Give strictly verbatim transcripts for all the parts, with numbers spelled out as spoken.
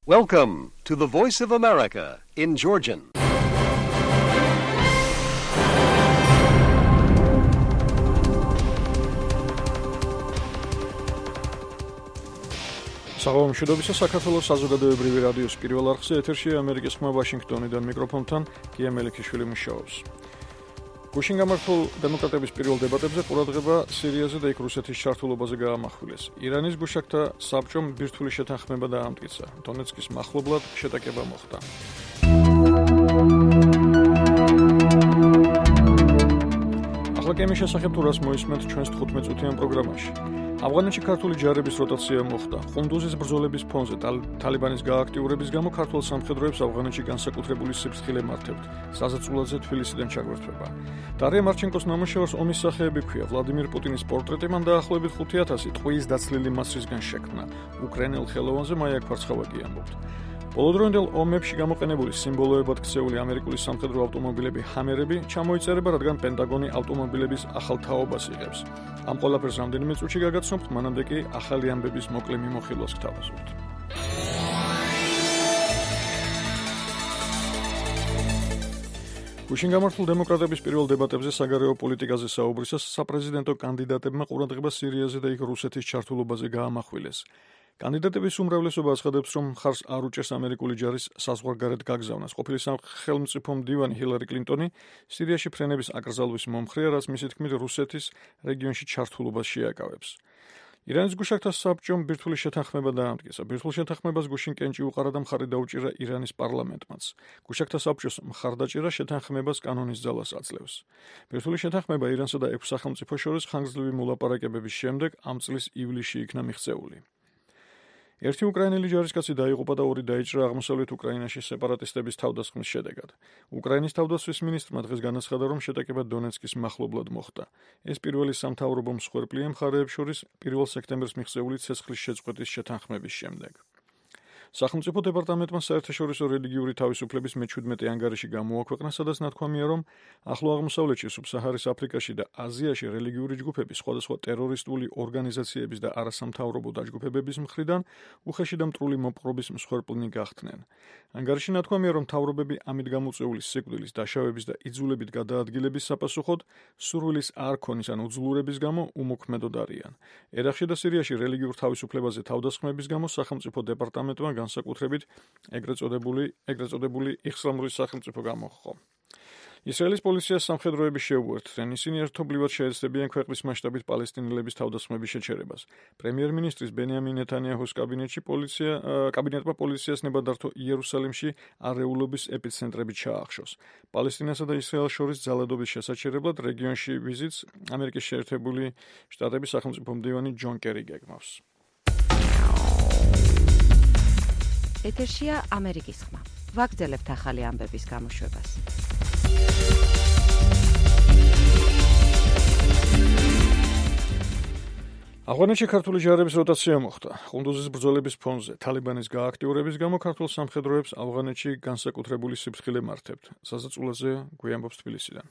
Welcome to the Voice of America in Georgian. საღამო მშვიდობისა საქართველოს საზოგადოებრივი რადიოს პირველ არხზე ეთერშია ამერიკის ხმა ვაშინგტონიდან მიკროფონთან გია მელიქიშვილი მუშაობს. გუშინ გამართულ დემოკრატების პირველ დებატებზე ყურადღება სირიაზე და იქ რუსეთის ჩართულობაზე გაამახვილეს. ირანის გუშაგთა საბჭომ ბირთვული შეთანხმება დაამტკიცა. დონეცკის მახლობლად შეტაკება მოხდა. ახლა გემის შესახებ თუ რას მოისმენთ ჩვენს თხუთმეტ წუთიან პროგრამაში. ავღანეთში ქართული ჯარების როტაცია მოხდა. ხუნდუზის ბრძოლების ფონზე თალიბანის გააქტიურების გამო ქართულ სამხედროებს ავღანეთში განსაკუთრებული სიფრთხილე მართავთ. საზეწულაზე თბილისიდან ჩაგვერთვება. დარია მარჩენკოს ნამუშევარს ომის სახეები ქვია. ვლადიმირ პუტინის პორტრეტი მან დაახლოებით ხუთი ათასი ტყუის დაცლილი მასრისგან შექმნა. უკრაინელ ხელოვანზე მაია ქვარცხავაგი ამბობთ. ბოლოდროინდელ ომებში გამოყენებული სიმბოლოებად ქცეული ამერიკული სამხედრო ავტომობილები ჰამერები ჩამოიწერება, რადგან პენტაგონი ავტომობილების ახალ თაობას იღებს. ამ ყველაფერს რამდენიმე წუთში გაგაცნობთ, მანამდე კი ახალი ამბების მოკლე მიმოხილვას გთავაზობთ. გუშინ გამართულ დემოკრატების პირველ დებატებზე საგარეო პოლიტიკაზე საუბრისას საპრეზიდენტო კანდიდატებმა ყურადღება სირიაზე და იქ რუსეთის ჩართულობაზე გაამახვილეს. კანდიდატების უმრავლესობა აცხადებს, რომ მხარს არ უჭერს ამერიკული ჯარის საზღვარგარეთ გაგზავნას. ყოფილი სახელმწიფო მდივანი ჰილარი კლინტონი სირიაში ფრენების აკრძალვის მომხრეა, რაც მისი თქმით რუსეთის რეგიონში ჩართულობას შეაკავებს. ირანის გუშაგთა საბჭომ ბირთვული შეთანხმება დაამტკიცა. ბირთვულ შეთანხმებას გუშინ კენჭი უყარა და მხარი დაუჭირა ირანის პარლამენტმაც. გუშაგთა საბჭოს მხარდაჭერა შეთანხმებას კანონის ძალას აძლევს. ბირთვული შეთანხმება ირანსა და ექვს სახელმწიფოს შორის ხანგრძლივი მოლაპარაკებების შემდეგ ამ წლის ივლისში იქნა მიღწეული. ერთი უკრაინელი ჯარისკაცი დაიღუპა და ორი დაიჭრა აღმოსავლეთ უკრაინაში სეპარატისტების თავდასხმის შედეგად. უკრაინის თავდაცვის მინისტრმა დღეს განაცხადა, რომ შეტაკება დონეცკის მახლობლად მოხდა. ეს პირველი სამთავრობო მსხვერპლია მხარეებს შორის პირველ სექტემბერს მიღწეული ცეცხლის შეწყვეტის შეთანხმების შემდეგ. სახელმწიფო დეპარტამენტმა საერთაშორისო რელიგიური თავისუფლების მეჩვიდმეტე ანგარიში გამოაქვეყნა, სადაც ნათქვამია, რომ ახლო აღმოსავლეთში, სუბსაჰარის აფრიკაში და აზიაში რელიგიური ჯგუფები სხვადასხვა ტერორისტული ორგანიზაციების და არასამთავრობო დაჯგუფებების მხრიდან უხეში და მტრული მოპყრობის მსხვერპლნი გახდნენ. ანგარიში ნათქვამია, რომ მთავრობები ამით გამოწვეული სიკვდილის, დაშავების და იძულებით გადაადგილების საპასუხოდ სურვილის არ ქონის ან უძლურების გამო უმოქმედოდ არიან. ერაყში და სირიაში რელიგიურ თავისუფლებაზე თავდასხმების გამო სახელმწიფო დეპარტამენტმა განსაკუთრებით ეგრეთ წოდებული ეგრეთ წოდებული იხსრამურის სახელმწიფო გამოჰყო. ისრაელის პოლიციას სამხედროები შეუერთდნენ. ისინი ერთობლივად შეეცდებიან ქვეყნის მასშტაბით პალესტინელების თავდასხმების შეჩერებას. პრემიერ-მინისტრის ბენიამინ ნეთანიაჰუს კაბინეტში პოლიცია კაბინეტმა პოლიციას ნებადართო იერუსალიმში არეულობის ეპიცენტრები ჩაახშოს. პალესტინასა და ისრაელს შორის ძალადობის შესაჩერებლად რეგიონში ვიზიტს ამერიკის შეერთებული შტატების სახელმწიფო მდივანი ჯონ კერი გეგმავს. ეთერშია ამერიკის ხმა. ვაგრძელებთ ახალი ამბების გამოშვებას. ავღანეთში ქართული ჯარების როტაცია მოხდა. ხუნდუზის ბრძოლების ფონზე თალიბანის გააქტიურების გამო ქართულ სამხედროებს ავღანეთში განსაკუთრებული სიფრთხილე მართავთ. საზეწულაზე გვიამბობს თბილისიდან.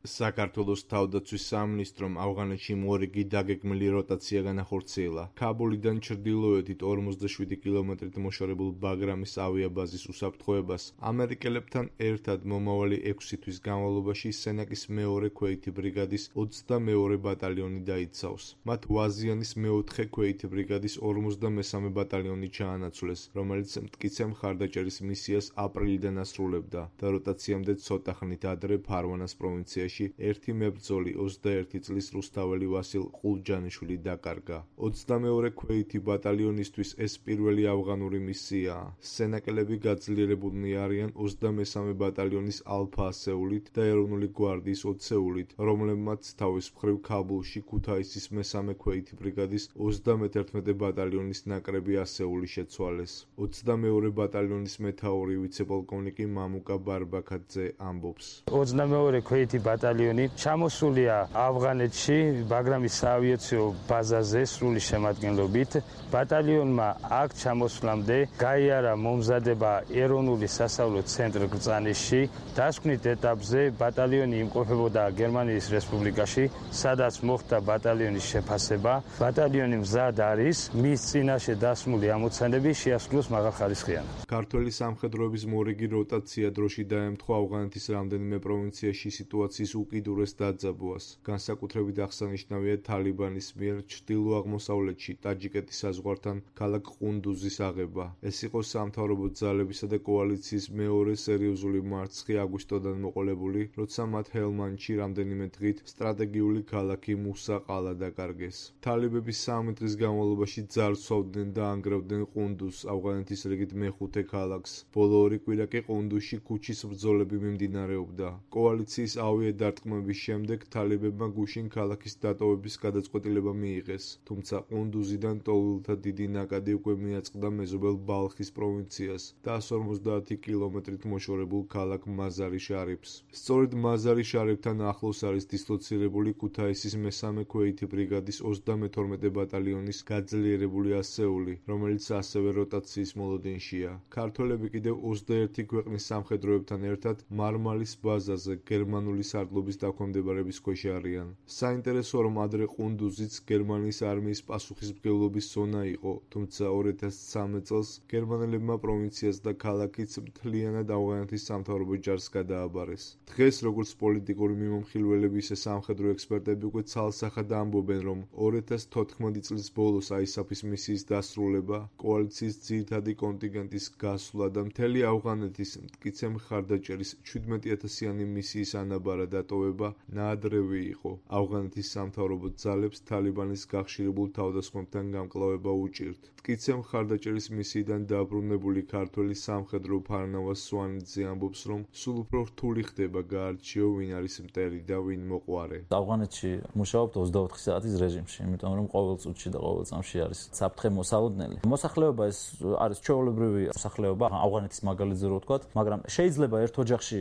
საქართველოს თავდაცვის სამინისტრომ ავღანეთში მორიგი დაგეგმილი როტაცია განახორციელა. ქაბულიდან ჩრდილოეთით ორმოცდაშვიდი კილომეტრით მოშორებულ ბაგრამის ავიაბაზის უსაფრთხოებას ამერიკელებთან ერთად მომავალი ექვსი თვის განმავლობაში სენაკის მეორე ქვეითი ბრიგადის ოცდამეორე ბატალიონი დაიცავს. მათ ვაზიანის მეოთხე ქვეითი ბრიგადის ორმოცდამესამე ბატალიონი ჩაანაცვლეს, რომელიც მტკიცე მხარდაჭერის მისიას აპრილიდან ასრულებდა და როტაციამდე ცოტა ხნით ადრე ფარვანას პროვინციაში ერთი მებრძოლი ოცდაერთი წლის რუსთაველი ვასილ ყულჯანიშვილი დაკარგა. ოცდამეორე ქვეითი ბატალიონისთვის ეს პირველი ავღანური მისიაა. სენაკელები გაძლიერებულნი არიან ოცდამესამე ბატალიონის ალფა ასეულით და ეროვნული გვარდიის ოცეულით, რომლებმაც თავის მხრივ ქაბულში ქუთაისის მესამე ქვეითი ბრიგადის ოცდამეთერთმეტე ბატალიონის ნაკრები ასეული შეცვალეს. ოცდამეორე ბატალიონის მეთაური ვიცე-პოლკოვნიკი მამუკა ბარბაქაძე ამბობს. ოცდამეორე ქვეითი ბატალიონი ბატალიონი ჩამოსულია ავღანეთში ბაგრამის საავიაციო ბაზაზე სრული შემადგენლობით. ბატალიონმა აქ ჩამოსვლამდე გაიარა მომზადება ეროვნული სასწავლო ცენტრ ბრძანისში. დასკვნით ეტაპზე ბატალიონი იმყოფებოდა გერმანიის რესპუბლიკაში, სადაც მოხდა ბატალიონის შეფასება. ბატალიონი მზად არის მის წინაშე დასმული ამოცანები შეასრულოს მაღალხარისხიანად. ქართველი სამხედროების მორიგი როტაცია დროში დაემთხვა ავღანეთის რამდენიმე პროვინციაში სიტუაციის უკიდურეს დაძაბვას. განსაკუთრებით აღსანიშნავია თალიბანის მიერ ჩრდილო-აღმოსავლეთში ტაჯიკეთის საზღვართან ქალაქ ყუნდუზის აღება. ეს იყო სამთავრობო ძალებისა და კოალიციის მეორე სერიოზული მარცხი აგვისტოდან მოყოლებული, როცა მათ ჰელმანდში რამდენიმე დღით სტრატეგიული ქალაქი მუსა ყალა დაკარგეს. თალიბების სამი დღის განმავლობაში ძარცვავდნენ და ანგრევდნენ ყუნდუზს, ავღანეთის რიგით მეხუთე ქალაქს. ბოლო ორი კვირა კი ყუნდუზში ქუჩის ბრძოლები მიმდინარეობდა. კოალიციის ავიადარტყმების შემდეგ თალიბებმა გუშინ ქალაქის დატოვების გადაწყვეტილება მიიღეს, თუმცა ყუნდუზიდან ტოვლთა დიდი ნაკადი უკვე მიაწყდა მეზობელ ბალხის პროვინციას და εκατს ორმოცდაათი კილომეტრით მოშორებულ ქალაქ მაზარი შარიფს. სწორედ მაზარი შარიფთან ახლოს არის დისლოცირებული ქუთაისის მესამე ქვეითი ბრიგადის ოცდამეთორმეტე ბატალიონის გაძლიერებული ასეული, რომელიც ასევე როტაციის მოლოდინშია. ქართველები კიდევ ოცდაერთი ქვეყნის სამხედროებთან ერთად მარმალის ბაზაზე გერმანული სარდლობის დაქვემდებარების ქვეშ არიან. საინტერესოა, რომ ადრე ყუნდუზიც გერმანიის არმიის პასუხისმგებლობის ზონა იყო, თუმცა ორი ათას სამი წელს გერმანელებმა პროვინციას და ქალაქიც მთლიანად ავღანეთის სამთავრობო ჯარს გადააბარეს. დღეს როგორც პოლიტიკური მიმომხილველები, ისე სამხედრო ექსპერტები უკვე ცალსახად ამბობენ, რომ ორი ათას თოთხმეტი წლის ბოლოს აისაფის მისიის დასრულება, კოალიციის ძირითადი კონტინგენტის გასვლა და მთელი ავღანეთის მტკიცე მხარდაჭერის შვიდმეტიათასიანი მისიის ანაბარა დატოვება ნაადრევი იყო. ავღანეთის სამთავრობო ძალებს თალიბანის გახშირებულ თავდასხმებთან გამკლავება უჭირთ. მტკიცე მხარდაჭერის მისიიდან დაბრუნებული ქართველი სამხედრო ფარნავა სვანიძე ამბობს, რომ სულ უფრო რთული ხდება გაარჩიო ვინ არის მტერი და ვინ მოყვარე. ავღანეთში მუშაობთ ოცდაოთხი საათის რეჟიმში, იმიტომ რომ ყოველ წუთში და ყოველ წამში არის საფრთხე მოსალოდნელი. მოსახლეობა ეს არის ჩვეულებრივი მოსახლეობა, ავღანეთის მაგალითზე რო ვთქვათ, მაგრამ შეიძლება ერთ ოჯახში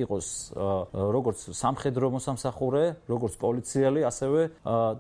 იყოს როგორც სამხედრო მოსამსახურე, როგორც პოლიციელი, ასევე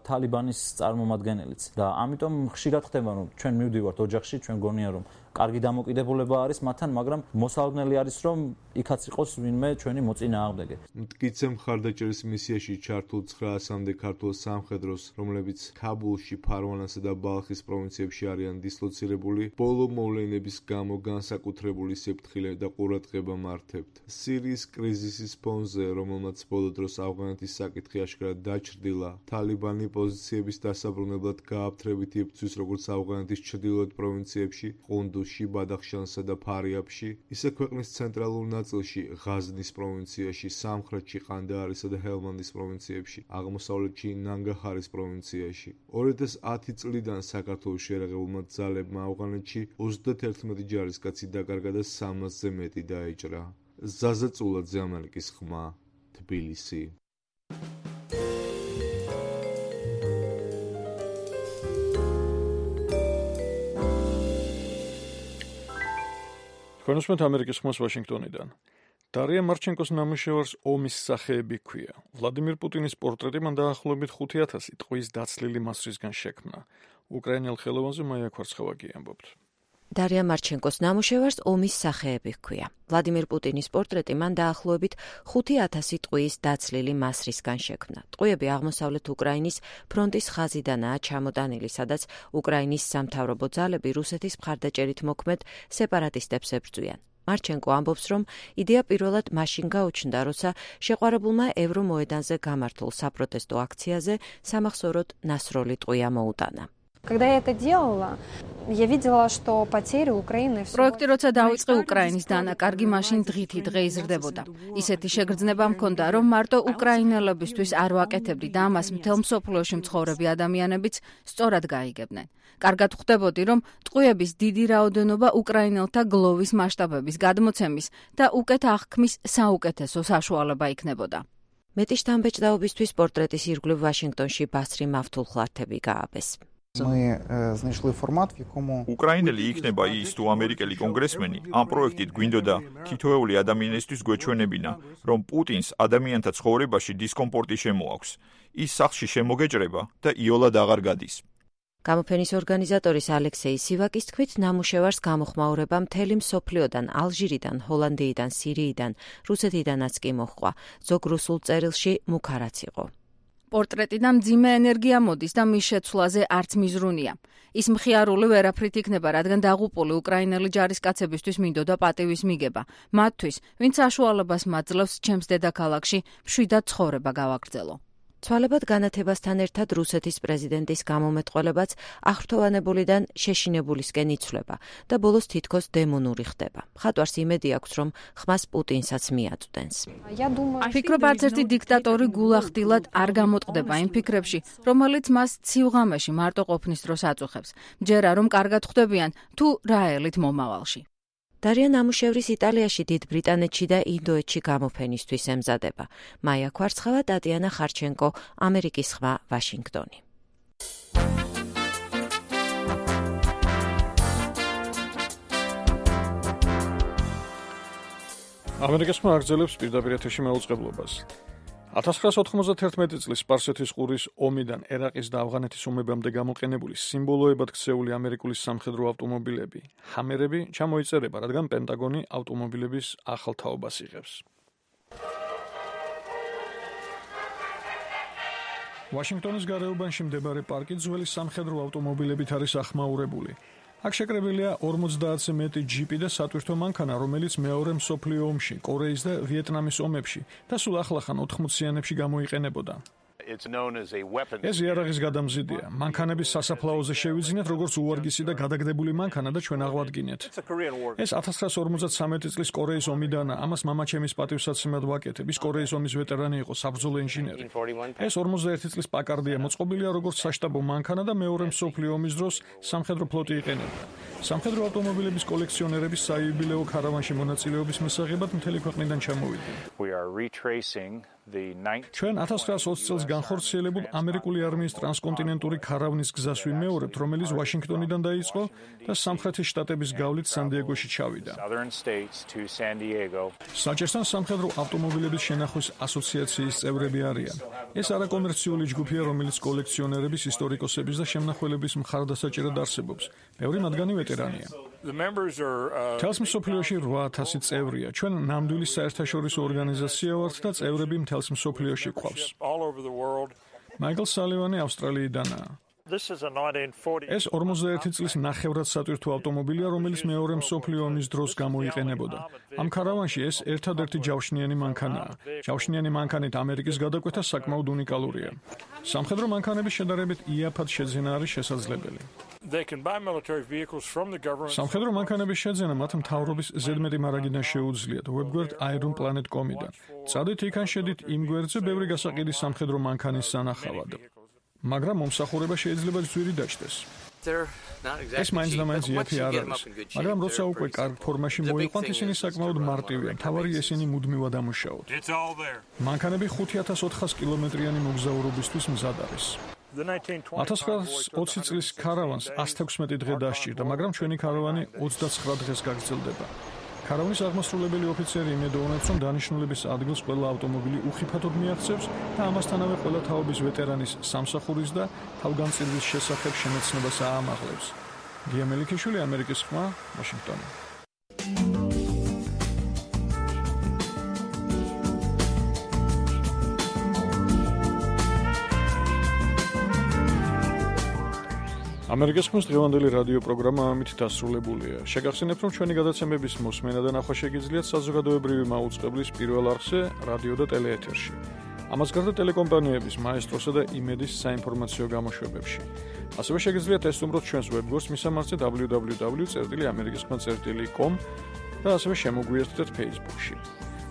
თალიბანის წარმომადგენელიც. და ამიტომ ხშირად ხდება, რომ ჩვენ მივდივართ ოჯახში, ჩვენ გონია რომ კარგი დამოკიდებულება არის მათთან, მაგრამ მოსალოდნელი არის, რომ იქაც იყოს ვინმე ჩვენი მოწინააღმდეგე. მტკიცე მხარდაჭერის მისიაში ჩართულ ცხრაასამდე ქართულ სამხედროს, რომლებიც ქაბულში, ფარვანასა და ბალხის პროვინციებში არიან დისლოცირებული, ბოლო მოვლენების გამო განსაკუთრებული სიფრთხილე და ყურადღება მართებთ. სირიის კრიზისის ფონზე, რომელმაც ბოლო დროს ავღანეთის საკითხი აშკარად დაჩრდილა, თალიბანი პოზიციების დასაბრუნებლად გააფთრებით იბრძვის როგორც ავღანეთის ჩრდილოეთ პროვინციებში, ყუნდუზში, ბადახშანსა და ფარიაბში, ისე ქვეყნის ცენტრალურ ნაწილში, ღაზნის პროვინციაში, სამხრეთში, ყანდაარისა და ჰელმანდის პროვინციებში, აღმოსავლეთში, ნანგაჰარის პროვინციაში. ორი ათას ათი წლიდან საქართველოს შეერაღებულმა ძალებმა ავღანეთში ოცდათერთმეტი ჯარისკაცი დაკარგა და სამასზე მეტი დაეჭრა. ზაზა წულაძე, ამერიკის ხმა, თბილისი. თქვენ უსმენთ ამერიკის ხმას ვაშინგტონიდან. დარია მარჩენკოს ნამუშევარს ომის სახეები ჰქვია. ვლადიმირ პუტინის პორტრეტი მან დაახლოებით ხუთი ათასი ტყვის დაცლილი მასრისგან შექმნა. უკრაინელ ხელოვანზე მაია ქვარცხავაგი ამბობთ. დარია მარჩენკოს ნამუშევარს ომის სახეები ჰქვია. ვლადიმირ პუტინის პორტრეტი მან დაახლოებით ხუთი ათასი ტყვის დაცლილი მასრისგან შექმნა. ტყვიები აღმოსავლეთ უკრაინის ფრონტის ხაზიდანაა ჩამოტანილი, სადაც უკრაინის სამთავრობო ძალები რუსეთის მხარდაჭერით მოქმედ სეპარატისტებს ებრძვიან. მარჩენკო ამბობს, რომ იდეა პირველად მაშინ გაუჩნდა, როცა შეყვარებულმა ევრომოედანზე გამართულ საპროტესტო აქციაზე სამახსოვროდ ნასროლი ტყვია მოუტანა. Когда я это делала, я видела, что потери Украины все. Პროექტი როცა დაიწყე უკრაინის დანაკარგი, მაშინ დღითი დღე იზრდებოდა. ისეთი შეგრძნება მქონდა, რომ მარტო უკრაინელებისთვის არ ვაკეთებდი და ამას მთელ მსოფლიოში მცხოვრები ადამიანებიც სწორად გაიგებდნენ. კარგად ხვდებოდი, რომ ტყვიების დიდი რაოდენობა უკრაინელთა გლოვის მასშტაბების გადმოცემის და უკეთ აღქმის საუკეთესო საშუალება იქნებოდა. მეტი შთამბეჭდაობისთვის პორტრეტის ირგვლივ ვაშინგტონში ბასრი მავთულხლართები გააბეს. უკრაინელი იქნება ის თუ ამერიკელი კონგრესმენი ამ პროექტით გვინდოდა თითოეული ადამიანისთვის გვეჩვენებინა, რომ პუტინს ადამიანთა ცხოვრებაში დისკომფორტი შემოაქვს. ის სახლში შემოგეჭრება და იოლად აღარ გადის. გამოფენის ორგანიზატორის ალექსეი სივაკის თქმით, ნამუშევარს გამოხმაურება მთელი მსოფლიოდან, ალჟირიდან, ჰოლანდიიდან, სირიიდან, რუსეთიდანაც კი მოჰყვა. ზოგ რუსულ წერილში მუქარაც იყო. პორტრეტიდან მძიმე ენერგია მოდის და მის შეცვლაზე არც მიზრუნია. ის მხიარული ვერაფრით იქნება, რადგან დაღუპული უკრაინელი ჯარისკაცებისთვის მინდოდა პატივის მიგება. მათთვის, ვინც საშუალებას მაძლევს ჩემს დედაქალაქში მშვიდად ცხოვრება გავაგრძელო. ცვალებად განათებასთან ერთად რუსეთის პრეზიდენტის გამომეტყველებაც აღფრთოვანებულიდან შეშინებულისკენ იცვლება და ბოლოს თითქოს დემონური ხდება. მხატვარს იმედი აქვს, რომ ხმას პუტინსაც მიაწვდენს. ფიქრობ, არც ერთი დიქტატორი გულახდილად არ გამოტყდება იმ ფიქრებში, რომელიც მას ცივღამეში მარტო ყოფნის დროს აწუხებს. მჯერა რომ კარგად ხვდებიან თუ რაელით მომავალში. დარია ნამუშევრის იტალიაში, დიდ ბრიტანეთში და ინდოეთში გამოფენისთვის ემზადება. მაია ქვარცხავა, ტატიანა ხარჩენკო, ამერიკის ხმა, ვაშინგტონი. ამერიკის ხმა აგრძელებს პირდაპირ ეთერში მეუწყებლობას. ათას ცხრაას ოთხმოცდათერთმეტი წლის სპარსეთის ყურის ომიდან ერაყის და ავღანეთის ომებამდე გამოყენებული სიმბოლოებად ქცეული ამერიკული სამხედრო ავტომობილები, ჰამერები, ჩამოიწერება, რადგან პენტაგონი ავტომობილების ახალ თაობას იღებს. ვაშინგტონის გარეუბანში მდებარე პარკი ძველი სამხედრო ავტომობილებით არის ახმაურებული. აქ შეკრებილია ორმოცდაათზე მეტი ჯიპი და სატვირთო მანქანა, რომელიც მეორე მსოფლიო ომში, კორეის და ვიეტნამის ომებში და სულ ახლახან ოთხმოციანებში გამოიყენებოდა. ეს იარაღის გადამზიდია. მანქანების სასაფლაოზე შევიძინეთ, როგორც უვარგისი და გადაგდებული მანქანა და ჩვენ აღვადგინეთ. ეს ათას ცხრაას ორმოცდათვრამეტი წლის კორეის ომიდანაა. ამას მამაჩემის პატივსაცემად ვაკეთებ. ის კორეის ომის ვეტერანი იყო, საბრძოლო ინჟინერი. ეს ორმოცდაერთი წლის პაკარდია მოწყობილია როგორც საშტაბო მანქანა და მეორე მსოფლიო ომის დროს სამხედრო ფლოტი იყენებდა. სამხედრო ავტომობილების კოლექციონერები საიუბილეო ქარავანში მონაწილეობის მისაღებად მთელი ქვეყნიდან ჩამოვიდნენ. ჩვენ ათას ცხრაას ოცი წელს განხორციელებულ ამერიკული არმიის ტრანსკონტინენტური ქარავნის გზას ვიმეორებთ, რომელიც ვაშინგტონიდან დაიწყო და სამხრეთის შტატების გავლით სან-დიეგოში ჩავიდა. საჭესთან სამხედრო ავტომობილების შენახვის ასოციაციის წევრები არიან. ეს არაკომერციული ჯგუფია, რომელიც კოლექციონერების, ისტორიკოსების და შემნახველების მხარდასაჭერად არსებობს. ბევრი მათგანი ვეტერანია. თელს მსოფლიოში რვა ათასი წევრია. ჩვენ ნამდვილი საერთაშორისო ორგანიზაცია ვართ და წევრები მთელს მსოფლიოში გვყავს. მაიკლ სალივანი ავსტრალიიდანაა. ეს ორმოცდაერთი წლის ნახევრად სატვირთო ავტომობილია, რომელიც მეორე მსოფლიო ომის დროს გამოიყენებოდა. ამ ქარავანში ეს ერთადერთი ჯავშნიანი მანქანაა. ჯავშნიანი მანქანით ამერიკის გადაკვეთა საკმაოდ უნიკალურია. სამხედრო მანქანების შედარებით იაფად შეძენა არის შესაძლებელი. სამხედრო მანქანების შეძენა მათ მთავრობის ზედმეტი მარაგიდან შეუძლიათ ვებგვერდ Iron Planet dot com-იდან. წადით იქან შედით იმ გვერდზე ბევრი გასაყიდი სამხედრო მანქანის სანახავად. მაგრამ მომსახურება შეიძლება ძვირი დაჭდეს. ეს მაინც და მაინც იაფი არ არის, მაგრამ როცა უკვე კარგ ფორმაში მოიყვანთ, ისინი საკმაოდ მარტივია, მთავარია ისინი მუდმივად ამუშაოთ. მანქანები ხუთი ათას ოთხას კილომეტრიანი მოგზაურობისთვის მზად არის. ათას ცხრაას ოცი წლის ქარავანს ას თექვსმეტი დღე დასჭირდა, მაგრამ ჩვენი ქარავანი ოცდაცხრა დღეს გაგრძელდება. ქარავნის აღმასრულებელი ოფიცერი იმედოვნებს, რომ დანიშნულების ადგილს ყველა ავტომობილი უხიფათოდ მიაღწევს და ამასთანავე ყველა თაობის ვეტერანის სამსახურის და თავგანწირვის შესახებ შემეცნებას აამაღლებს. გია მელიქიშვილი, ამერიკის ხმა, ვაშინგტონი. ამერიკის ხმის დღევანდელი რადიო პროგრამა ამით დასრულებულია. შეგახსენებთ, რომ ჩვენი გადაცემების მოსმენა და ნახვა შეგიძლიათ საზოგადოებრივი მაუწყებლის პირველ არხზე, რადიო და ტელეეთერში. ამას გარდა ტელეკომპანიების მაესტროსა და იმედის საინფორმაციო გამოშვებებში. ასევე შეგიძლიათ ესტუმროთ ჩვენს ვებგვერდს მისამართზე double-u double-u double-u წერტილი ამერიკის ხმა წერტილი com და ასევე შემოგვიერთდეთ Facebook-ში.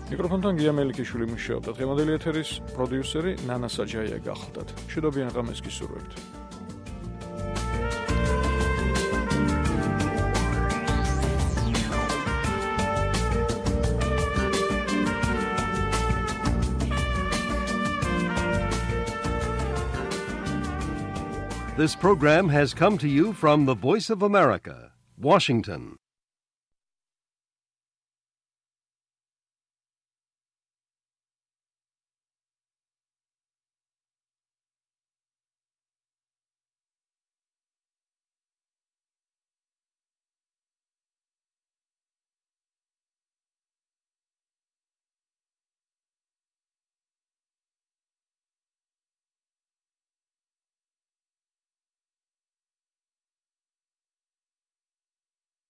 მიკროფონთან გია მელიქიშვილი მუშაობდა. დღევანდელი ეთერის პროდიუსერი ნანა საჯაია გახლდათ. მშვიდობიან ღამეს გისურვებთ. This program has come to you from the Voice of America, Washington.